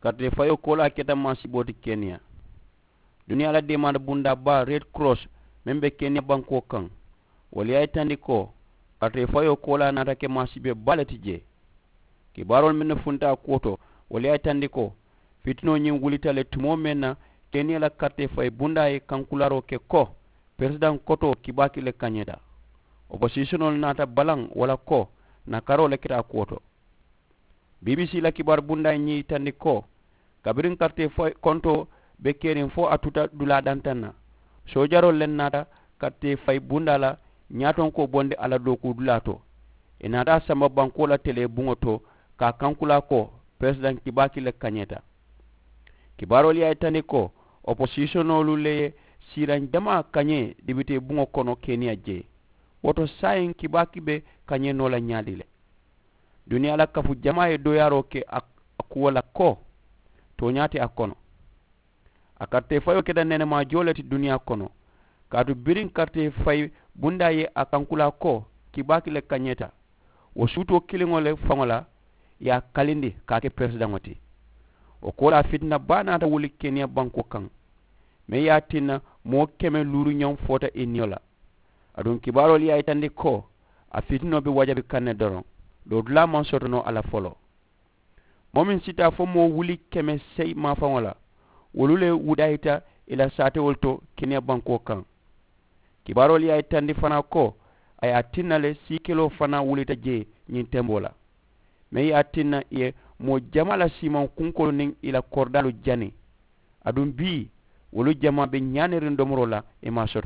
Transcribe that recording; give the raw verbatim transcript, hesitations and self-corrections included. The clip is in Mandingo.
Karitee fayoo koolaa keta maasiboo ti keniya. Duniyaa la deemaari bundaa baa red cross meŋ be keniya bankoo kaŋ, wolu ye a yitandi ko karitee fayoo koolaa naata ke maasibee baa le ti jee. Kibaaroolu mennu funta a kuwo to, wolu ye a yitandi ko fitinoo ñiŋ wulita le tumoo meŋ na keniya la karitee fayi bundaa ye kankulaaroo ke ko peresidaŋ kotoo kibaaki le kañeeta. Oposisiyonoo le naata balaŋ wo la ko nakaroo le keta a kuwo to. Bbc la kibaaru bundaa ye ñiŋ yitandi ko kabiriŋ karitee fayi kontoo be keriŋ fo a tuta dulaa dantaŋ na, soojaroolu le naata karitee fayi bundaa la ñaatonkoo bondi a la dookuu dulaa to. Ì naata a samba bankoo la telee buŋo to ka a kankulaa ko peresidaŋ kibaaki le kañeeta. Kibaaroolu ye a yitandi ko oposisiyonoolu le ye siiraŋ jamaa kañee dibitee buŋo kono keniya jee. Wo to saayiŋ kibaaki be kañee noo la ñaadi le. Duniyaa la kafu jamaa ye dooyaaroo ke a kuwo la ko tooñaa te a kono. A karitee fayoo keta nenemaa joo le ti duniyaa kono kaatu biriŋ karitee fayi bundaa ye a kankulaa ko kibaaki le kañeeta. Wo suutoo kiliŋo le faŋo la ì ye a kalindi ka a ke peresidaŋo ti. Wo koolaa fitina baa naata wuli keniya bankoo kaŋ meŋ ye a tinna moo keme luuru ñoŋ foota ì niyo la. Aduŋ kibaaroolu ye a yitandi ko a fitinoo be wajabi kaŋ ne doroŋ. Doo dulaa maŋ soto noo a la foloo. Moo meŋ si taa fo moo wuli keme seyi maafaŋo la wolu le wudayita ì la saatewolu to keniya bankoo kaŋ. Kibaaroolu ye a yitandi fanaa ko a ye a tinna le siikeloo fanaa wulita jee ñiŋ temboo la meŋ ye a tinna ì ye moo jamaa la siimaŋ kunkoolu niŋ ì la koridaalu jani. Aduŋ bii wolu jamaa be ñaaniriŋ domoroo la ì maŋ a soto.